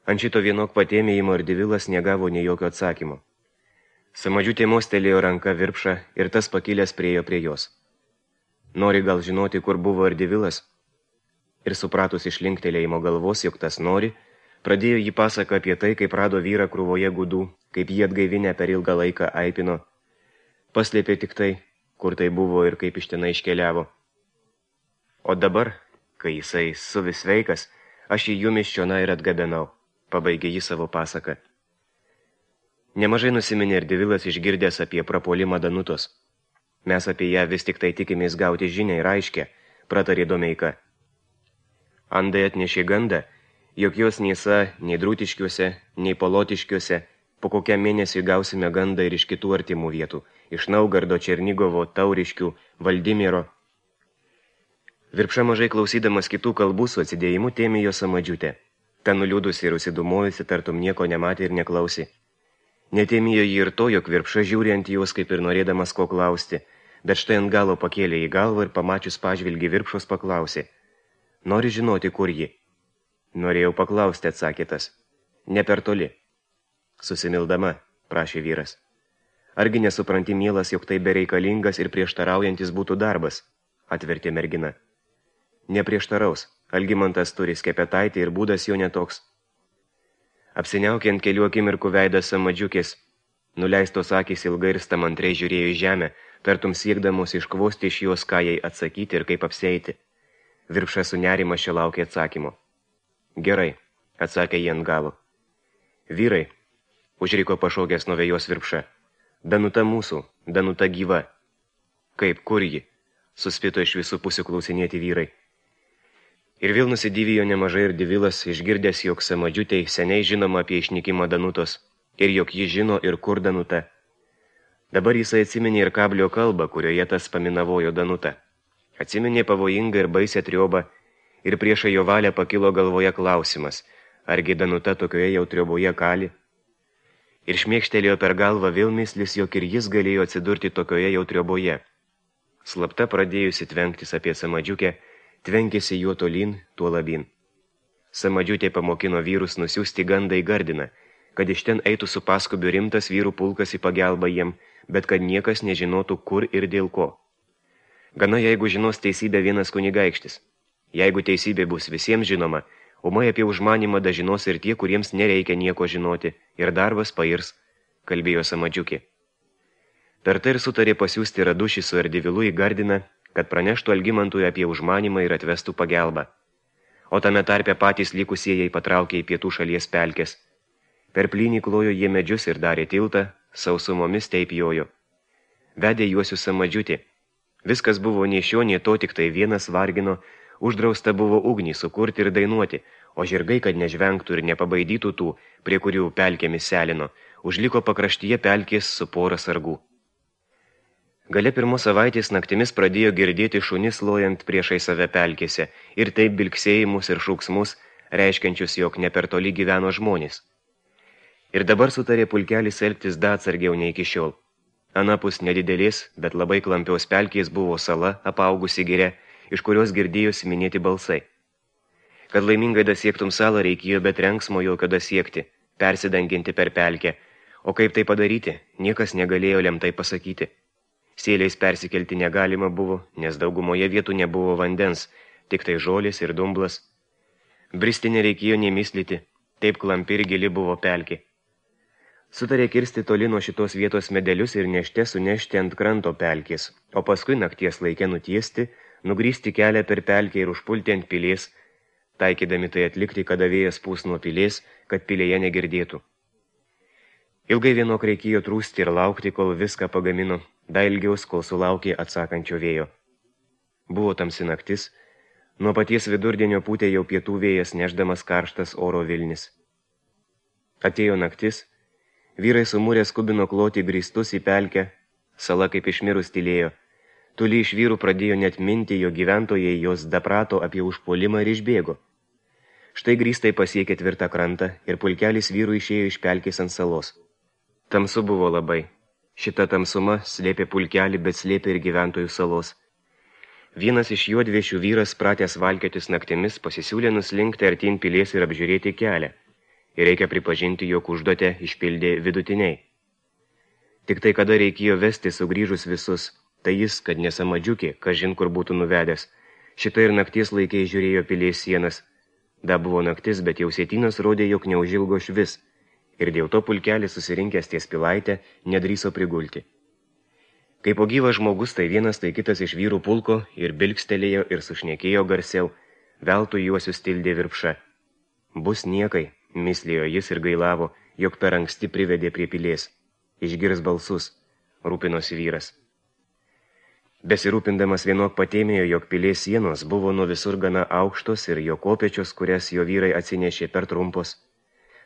Ant šito vienok patėmėjimo Ardevilas negavo nei jokio atsakymo. Samadžiutė mostelėjo ranka Virpšą ir tas pakilęs priejo prie jos. Nori gal žinoti, kur buvo Ardevilas? Ir supratus iš linktelėjimo galvos, jog tas nori, pradėjo jį pasaką apie tai, kaip rado vyrą krūvoje gudų, kaip jį atgaivinę per ilgą laiką aipino. Paslėpė tik tai, kur tai buvo ir kaip iš tenai iškeliavo. O dabar, kai jisai suvis sveikas, aš jį jumis čionai ir atgabenau, pabaigė jį savo pasaką. Nemažai nusiminė Ardevilas išgirdęs apie prapuolimą Danutos. Mes apie ją vis tik tai tikimės gauti žinią ir aiškę, pratarė Domeika. Andai atnešė gandą, jog jos nėsa nei Drūtiškiuose, nei Polotiškiuose, po kokiam mėnesiui gausime gandą ir iš kitų artimų vietų, iš Naugardo, Černigovo, Tauriškių, Valdimiero. Virpša mažai klausydamas kitų kalbų su atsidėjimu tėmė jo Samadžiutę. Ta nuliūdusi ir užsidumojusi, tartum nieko nematė ir neklausė. Netėmėjo jį ir to, jog Virpša žiūri ant jos, kaip ir norėdamas ko klausti, bet štai ant galo pakėlė į galvą ir pamačius pažvilgį Virpšos paklausė. Nori žinoti, kur ji? Norėjau paklausti, atsakė tas. Ne per toli. Susimildama, prašė vyras. Argi nesupranti, mielas, jog tai bereikalingas ir prieštaraujantis būtų darbas, atvertė mergina. Neprieštaraus, Algimantas turi skepetaitį ir būdas jo netoks. Apsiniaukė ant kelių akimirkų veidas Samadžiukės. Nuleistos akys ilgai ir stamantrai žiūrėjo į žemę, tartum siekdamos iškvosti iš jos, ką jai atsakyti ir kaip apseiti. Virpša su nerimas čia laukė atsakymo. Gerai, atsakė jie ant galo. Vyrai, užriko pašaukęs nuo vėjos Virpša. Danuta mūsų, Danuta gyva. Kaip, kur ji? Suspito iš visų pusių klausinėti vyrai. Ir vėl nusidyvijo nemažai Ardevilas, išgirdęs, jog Samadžiutei seniai žinoma apie išnykimą Danutos, ir jog ji žino ir kur Danuta. Dabar jisai atsiminė ir kablio kalbą, kurioje tas paminavojo Danutą. Atsiminė pavojingą ir baisę triobą, ir priešą jo valią pakilo galvoje klausimas, argi Danuta tokioje jau trioboje kali. Ir šmėkštelėjo per galvą vėl mislis, jog ir jis galėjo atsidurti tokioje jau trioboje. Slapta pradėjusi tvenktis apie Samadžiukę, tvenkėsi juo tolyn, tuo labin. Samadžiutė pamokino vyrus nusiųsti gandą į Gardiną, kad iš ten eitų su paskubiu rimtas vyrų pulkas į pagalbą jiem, bet kad niekas nežinotų, kur ir dėl ko. Gana, jeigu žinos teisybę vienas kunigaikštis. Jeigu teisybė bus visiems žinoma, umai apie užmanimą dažinos ir tie, kuriems nereikia nieko žinoti, ir darbas pairs, kalbėjo Samadžiukė. Per tai ir sutarė pasiųsti Radušį su Ardivilu į Gardiną, kad praneštų Algimantui apie užmanymą ir atvestų pagelbą. O tame tarpe patys likusieji patraukė į pietų šalies pelkes. Per plynį klojo jie medžius ir darė tiltą, sausumomis taip jojo. Vedė juosius Samadžiutį. Viskas buvo nei šio, nei to, tik tai vienas vargino, uždrausta buvo ugnį sukurti ir dainuoti, o žirgai, kad nežvengtų ir nepabaidytų tų, prie kurių pelkėmis selino, užliko pakraštyje pelkės su pora sargų. Gale pirmos savaitės naktimis pradėjo girdėti šunis lojant priešai save pelkėse ir taip bilksėjimus ir šūksmus, reiškiančius, jog ne per toli gyveno žmonės. Ir dabar sutarė pulkelis elgtis da atsargiau nei iki šiol. Anapus nedidelės, bet labai klampios pelkės buvo sala, apaugusi giria, iš kurios girdėjosi minėti balsai. Kad laimingai dasiektum salą, reikėjo be trenksmo jokio dasiekti, persidanginti per pelkę, o kaip tai padaryti, niekas negalėjo lemtai pasakyti. Sėliais persikelti negalima buvo, nes daugumoje vietų nebuvo vandens, tik tai žolės ir dumblas. Bristi nereikėjo nemislyti, taip klampi ir gili buvo pelkė. Sutarė kirsti toli nuo šitos vietos medelius ir nešte sunešti ant kranto pelkės, o paskui nakties laikė nutiesti, nugrįsti kelią per pelkę ir užpulti ant pilės, taikydami tai atlikti, kada vėjas pūs nuo pilės, kad pilėje negirdėtų. Ilgai vienok reikėjo trūsti ir laukti, kol viską pagamino, da ilgiaus, kol sulaukė atsakančio vėjo. Buvo tamsi naktis, nuo paties vidurdienio pūtė jau pietų vėjas, nešdamas karštas oro vilnis. Atėjo naktis, vyrai sumūrė skubino kloti grįstus į pelkę, sala kaip išmirus tylėjo. Toli iš vyrų pradėjo net minti, jo gyventojai jos daprato apie užpuolimą ir išbėgo. Štai grįstai pasiekė tvirtą krantą ir pulkelis vyrų išėjo iš pelkės ant salos. Tamsu buvo labai. Šita tamsuma slėpė pulkelį, bet slėpė ir gyventojų salos. Vienas iš juodviešių vyras, pratęs valkiotis naktimis, pasisiūlė nuslinkti artin pilies ir apžiūrėti kelią. Ir reikia pripažinti, jog užduotę išpildė vidutiniai. Tik tai kada reikėjo vesti sugrįžus visus, tai jis, kad nesamadžiukė, kažin kur būtų nuvedęs. Šita ir nakties laikai žiūrėjo pilies sienas. Da buvo naktis, bet jau sėtynas rodė, jog neužilgo švis. Ir dėl to pulkelis susirinkęs ties pilaitę nedrįso prigulti. Kai po gyvas žmogus, tai vienas, tai kitas iš vyrų pulko ir bilkstelėjo ir sušnekėjo garsiau, veltui juosius tildė Virpša. Bus niekai, mislėjo jis ir gailavo, jog per anksti privedė prie pilės. Išgirs balsus, rūpinosi vyras. Besirūpindamas vienok patėmėjo, jog pilės sienos buvo nuo visur gana aukštos ir jo kopečios, kurias jo vyrai atsinešė per trumpos.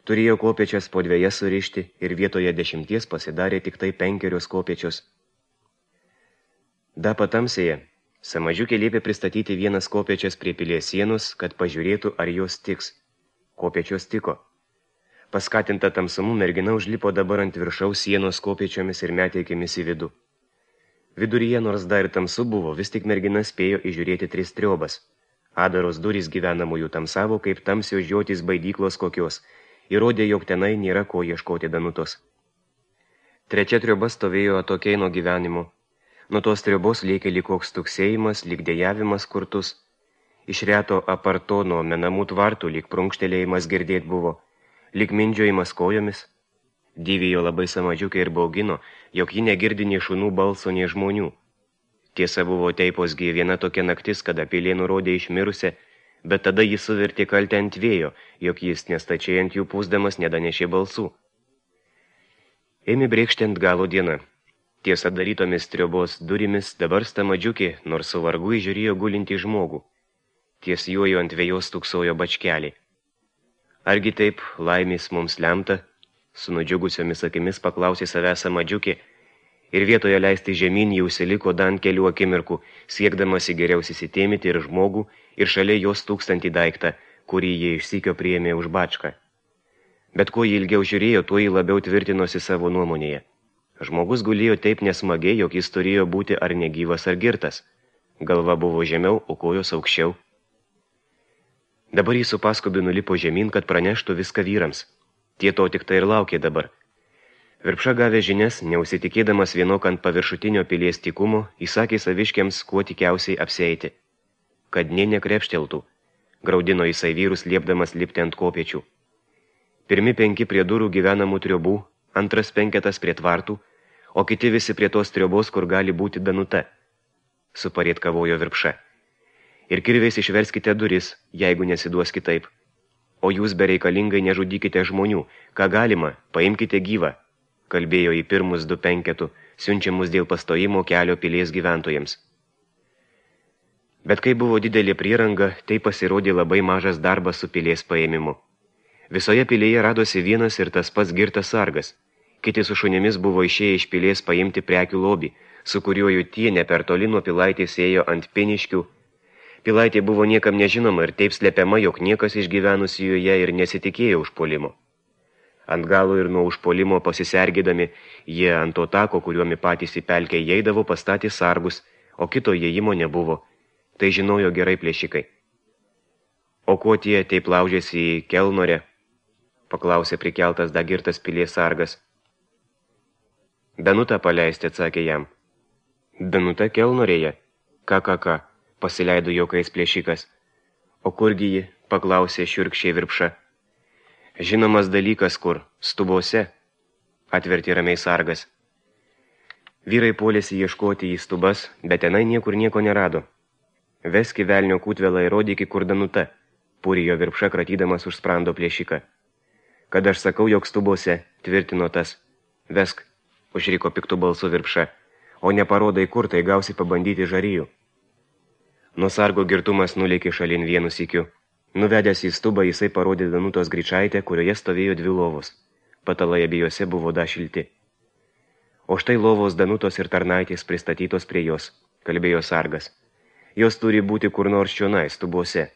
Turėjo kopečias po 2 surišti ir vietoje 10 pasidarė tik tai 5 kopečios. Da patamsėje, Samadžiukė liepė pristatyti vienas kopečias prie pilies sienos, kad pažiūrėtų, ar jos tiks. Kopečios tiko. Paskatinta tamsumu mergina užlipo dabar ant viršaus sienos kopečiomis ir metė akimis į vidų. Viduryje, nors dar ir tamsu buvo, vis tik mergina spėjo įžiūrėti 3 triobas. Adaros durys gyvenamųjų tamsavo, kaip tamsios žiotys baidyklos kokios, įrodė, jog tenai nėra ko ieškoti Danutos. 3 trioba stovėjo atokiai nuo gyvenimo. Nuo tos triobos lėkė lyg koks tuksėjimas, lyg dejavimas kurtus. Iš reto aparto nuo menamų tvartų lyg prunkštelėjimas girdėt buvo, lyg mindžiojimas kojomis. Dyvijo labai Samadžiukė ir baugino, jog ji negirdi nei šunų balso, nei žmonių. Tiesa buvo teiposgi viena tokia naktis, kada pilė nurodė išmirusią, bet tada jis suvertė kaltę ant vėjo, jog jis nestačiai ant jų pūsdamas nedanešė balsų. Ėmė brėkšti ant galo diena. Tiesa darytomis triobos durimis dabar Samadžiukė, nors su vargu įžiūrėjo gulinti žmogų. Ties juojo ant vėjos tuksojo bačkelį. Argi taip laimės mums lemta? Su nudžiugusiomis akimis paklausė savęs Samadžiukė ir vietoje leisti žemyn jau užsiliko dan kelių akimirkų, siekdamas į geriausiai įsitėmyti ir žmogų, ir šalia jos 1000 daiktą, kurį jie išsykio priėmė už bačką. Bet kuo jį ilgiau žiūrėjo, tuo jį labiau tvirtinosi savo nuomonėje. Žmogus gulėjo taip nesmagiai, jog jis turėjo būti ar negyvas, ar girtas. Galva buvo žemiau, o kojos aukščiau. Dabar jis su paskubi nulipo žemyn, kad praneštų viską vyrams. Tie to tik tai ir laukė dabar. Virpša gavę žinias, neusitikėdamas vienok ant paviršutinio pilies tikumo, įsakė saviškiams kuo tikiausiai apsieiti. Kad nė nekrepšteltų, graudino jisai vyrus liepdamas lipti ant kopečių. Pirmi 5 prie durų gyvenamų triobų, antras 5 prie tvartų, o kiti visi prie tos triobos, kur gali būti Danuta, suparėt kavojo Virpša. Ir kirviais išverskite duris, jeigu nesiduos kitaip. O jūs bereikalingai nežudykite žmonių, ką galima, paimkite gyvą, kalbėjo į pirmus 2 penketų, siunčiamus dėl pastojimo kelio pilies gyventojams. Bet kai buvo didelė prieranga, tai pasirodė labai mažas darbas su pilies paėmimu. Visoje pilėje radosi vienas ir tas pats girtas sargas. Kiti su šunimis buvo išėję iš pilies paimti prekių lobį, su kuriuo jų tie ne per toli nuo pilaitės ėjo ant Piniškių. Pilaitė buvo niekam nežinoma ir taip slepiama, jog niekas išgyvenusi joje ir nesitikėjo užpuolimo. Ant galo ir nuo užpuolimo pasisergėdami, jie ant to tako, kuriuomi patys į pelkę įeidavo, pastatė sargus, o kito įėjimo nebuvo. Tai žinojo gerai plėšikai. O kuo tie taip laužėsi į Kelnorę? Paklausė prikeltas dagirtas pilies sargas. Danutą paleisti, atsakė jam. Danuta Kelnorėje? Ką, pasileido juokais plėšikas. O kurgi ji? Paklausė šiurkščiai Virpša. Žinomas dalykas kur, stubose, atvertė ramiai sargas. Vyrai puolėsi ieškoti į stubas, bet tenai niekur nieko nerado. Veski velnio kūtvelą ir rodyki kur Danuta, pūrijo Virpša kratydamas už sprando plėšiką. Kad aš sakau, jog stubose, tvirtino tas. Vesk, užriko piktų balsu Virpša, o neparodai kur, tai gausi pabandyti žarijų. Nuo sargo girtumas nulėkė šalin vienu sykiu. Nuvedęs į stubą, jisai parodė Danutos gryčaitę, kurioje stovėjo 2 lovos. Patalai abiejose buvo šilti. O štai lovos Danutos ir tarnaitės pristatytos prie jos, kalbėjo sargas. Jos turi būti kur nors čionai, stubose.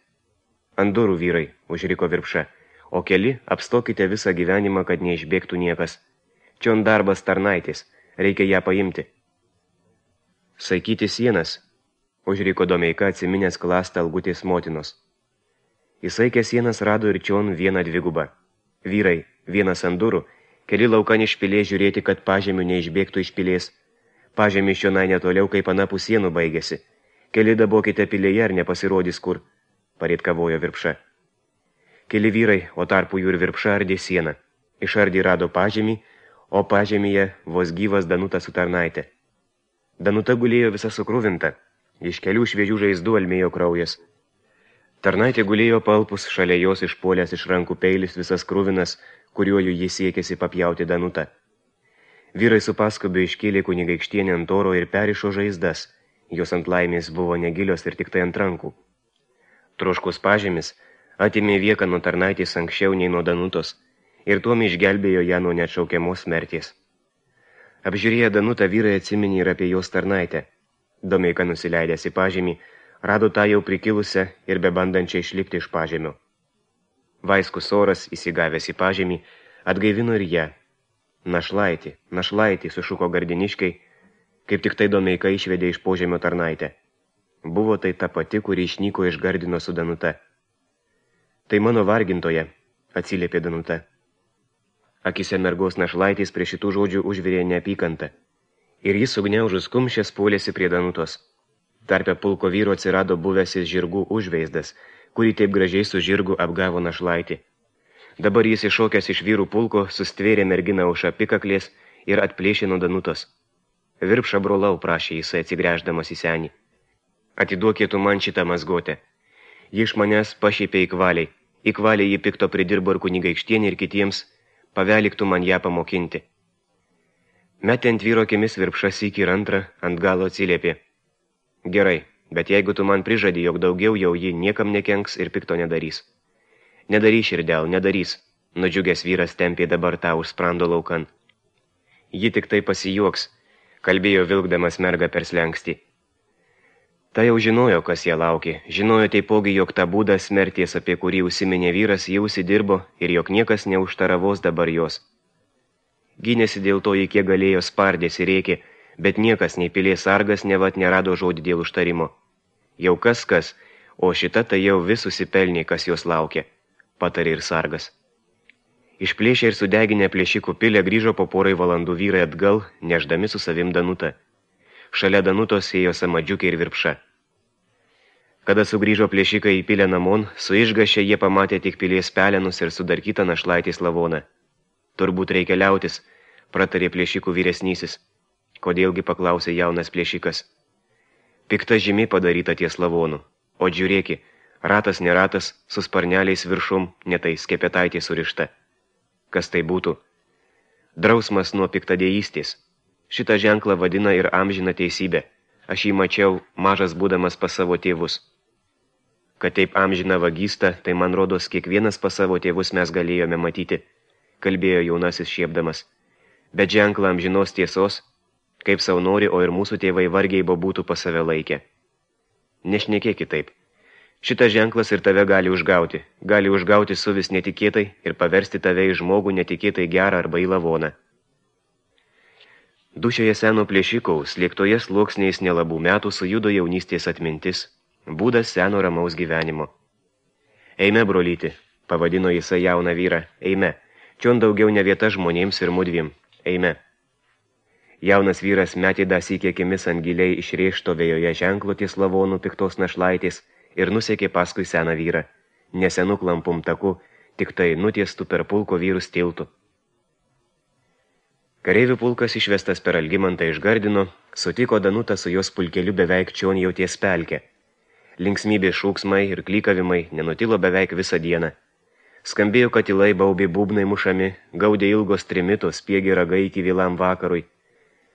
Ant durų vyrai, užriko Virpša, o keli apstokite visą gyvenimą, kad neišbėgtų niekas. Čion darbas tarnaitės, reikia ją paimti. Saikyti sienas, užriko Domeika atsiminęs klastą Algutės motinos. Įsaikę sienas rado ir čion 1 dvigubą. Vyrai, 1 ant durų, keli laukan iš pilės žiūrėti, kad pažemių neišbėgtų iš pilės. Pažemį čionai netoliau kaip anapus sienų baigėsi. Keli dabokite pilėje ar nepasirodys kur, pareitkavojo Virpša. Keli vyrai, o tarpu jų ir Virpša ardė sieną. Išardė rado pažemį, o pažemyje vos gyvas Danuta su tarnaitė. Danuta gulėjo visa sukruvinta, iš kelių šviežių žaizdų almėjo kraujas. Tarnaitė gulėjo palpus, šalia jos išpuolęs iš rankų peilis visas kruvinas, kuriuo jis siekėsi papjauti Danutą. Vyrai su paskubiu iškėlė kunigaikštienę ant oro ir perišo žaizdas, jos ant laimės buvo negilios ir tik tai ant rankų. Troškus pažemis atimė vieką nuo tarnaitės anksčiau nei nuo Danutos ir tuom išgelbėjo ją nuo neatšaukiamos mirties. Apžiūrėję Danutą vyrai atsiminė ir apie jos tarnaitę. Domeika nusileidęs į pažemį, rado tą jau prikilusią ir bebandančią išlipti iš pažemio. Vaiskus oras, įsigavęs į pažemį, atgaivino ir ją. Našlaitį, sušuko gardiniškai, kaip tik tai Domeika išvedė iš požemio tarnaitę. Buvo tai ta pati, kuri išnyko iš Gardino su Danuta. Tai mano vargintoje, atsiliepė Danuta. Akise mergos našlaitės prie šitų žodžių užvirė neapykantą. Ir jis sugniaužus kumščias puolėsi prie Danutos. Tarpe pulko vyro atsirado buvęsis žirgų užveizdas, kurį taip gražiai su žirgu apgavo našlaitį. Dabar jis iššokęs iš vyrų pulko sustvėrė merginą už apikaklės ir atplėšė nuo Danutos. Virpša brolau, prašė jisai atsigręždamas į senį. Atiduokėtų man šitą mazgotę. Ji iš manęs pašėpė į kvaliai jį pikto pridirbo ir kunigaikštienį ir kitiems, paveliktų man ją pamokinti. Metė ant vyro akimis Virpša sykį ir antrą, ant galo atsiliepė. Gerai, bet jeigu tu man prižadi, jog daugiau jau ji niekam nekenks ir pikto nedarys. Nedarys, širdel, nedarys, nudžiugęs vyras tempė dabar tą už sprando laukan. Ji tik tai pasijuoks, kalbėjo vilkdamas mergą per slenkstį. Ta jau žinojo, kas ją laukė, žinojo taipogi, jog tą būdą smerties, apie kurį užsiminė vyras, jau užsidirbo ir jog niekas neužtaravos dabar jos. Gynėsi dėl to, kiek galėjo spardėsi rėkė, bet niekas nei pilies sargas nevat nerado žodį dėl užtarimo. Jau kas, o šita tai jau vis susipelnė, kas jos laukia, patarė ir sargas. Išplėšę ir sudeginę plėšikų pilę grįžo po porai valandų vyrai atgal, neždami su savim Danutą. Šalia Danutos ėjo Samadžiukė ir Virpša. Kada sugrįžo plėšikai į pilę namon, su išgašė jie pamatė tik pilies pelenus ir sudarkytą našlaitės lavoną. Turbūt reikia liautis, pratarė plėšikų vyresnysis. Kodėlgi, paklausė jaunas plėšikas. Pikta žymi padaryta ties lavonu. O žiūrėki, ratas neratas, su sparneliais viršum, netai skepetaitė surišta. Kas tai būtų? Drausmas nuo piktadėjystės. Šitą ženklą vadina ir amžiną teisybę. Aš jį mačiau, mažas būdamas pas savo tėvus. Kad taip amžina vagysta, tai man rodos kiekvienas pas savo tėvus mes galėjome matyti, kalbėjo jaunasis šiepdamas. Bet ženklą amžinos tiesos, kaip sau nori, o ir mūsų tėvai vargiai būtų pas save laikę. Nešnekėk kitaip. Šitas ženklas ir tave gali užgauti suvis netikėtai ir paversti tave į žmogų netikėtai gerą arba į lavoną. Dušioje seno plėšikaus, slėgtoje sluoksniais nelabų metų sujudo jaunystės atmintis, būdas seno ramaus gyvenimo. Eime, brolyti, pavadino jisai jauną vyrą, eime, čion daugiau ne vieta žmonėms ir mudviem, eime. Jaunas vyras metė dasykė akimis ant giliai išrėžto vėjoje ženklo ties lavonų piktos našlaitės ir nusekė paskui seną vyrą, nesenų klampum taku, tik tai nutiestų per pulko vyrus tiltų. Kareivių pulkas išvestas per Algimantą iš Gardino, sutiko Danutą su jos pulkeliu beveik čion jau ties pelkę. Linksmybės šūksmai ir klykavimai nenutilo beveik visą dieną. Skambėjo katilai, baubė būbnai mušami, gaudė ilgos trimitos, spiegė ragai iki vėlam vakarui.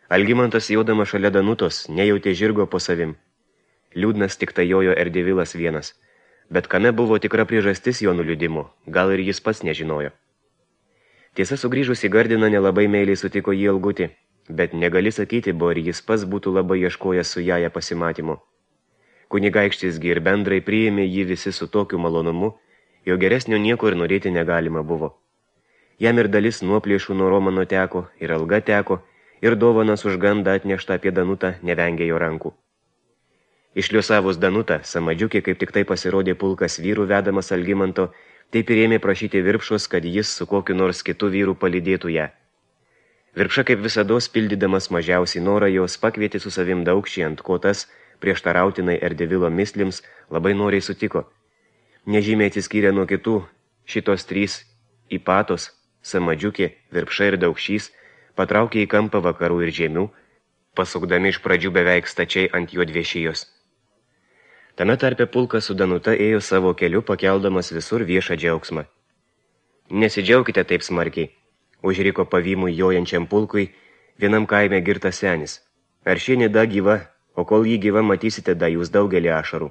Algimantas jaudama šalia Danutos nejautė žirgo po savim. Liūdnas tik tai jojo Erdevilas vienas, bet kame buvo tikra priežastis jo nuliūdimo, gal ir jis pats nežinojo. Tiesa, sugrįžus į Gardiną nelabai meiliai sutiko jį Ilgutį, bet negali sakyti, bo ir jis pats būtų labai ieškojęs su jaja pasimatymu. Kunigaikštis gi ir bendrai priėmė jį visi su tokiu malonumu, jo geresnio nieko ir norėti negalima buvo. Jam ir dalis nuoplėšų nuo Romano teko, ir alga teko, ir dovanas už gandą atneštą apie Danutą nevengė jo rankų. Išliosavus Danutą, Samadžiukė, kaip tik tai pasirodė pulkas vyrų vedamas Algimanto, taip ir ėmė prašyti Virpšos, kad jis su kokiu nors kitu vyru palydėtų ją. Virpša kaip visados pildydamas mažiausiai norą jos pakvietė su savim Daukšį, ant ko tas, prieštarautinai Erdevilo mislims, labai noriai sutiko. Nežymiai atsiskyrė nuo kitų, šitos trys Ipatos, Samadžiukė, Virpša ir Daukšys, patraukė į kampą vakarų ir žemių, pasukdami iš pradžių beveik stačiai ant juodviešijos. Tame tarpe pulkas su Danuta ėjo savo keliu, pakeldamas visur viešą džiaugsmą. Nesidžiaukite taip smarkiai, užriko pavymui jojančiam pulkui vienam kaime girtas senis. Ar ši nida gyva, o kol jį gyva matysite da jūs daugelį ašarų.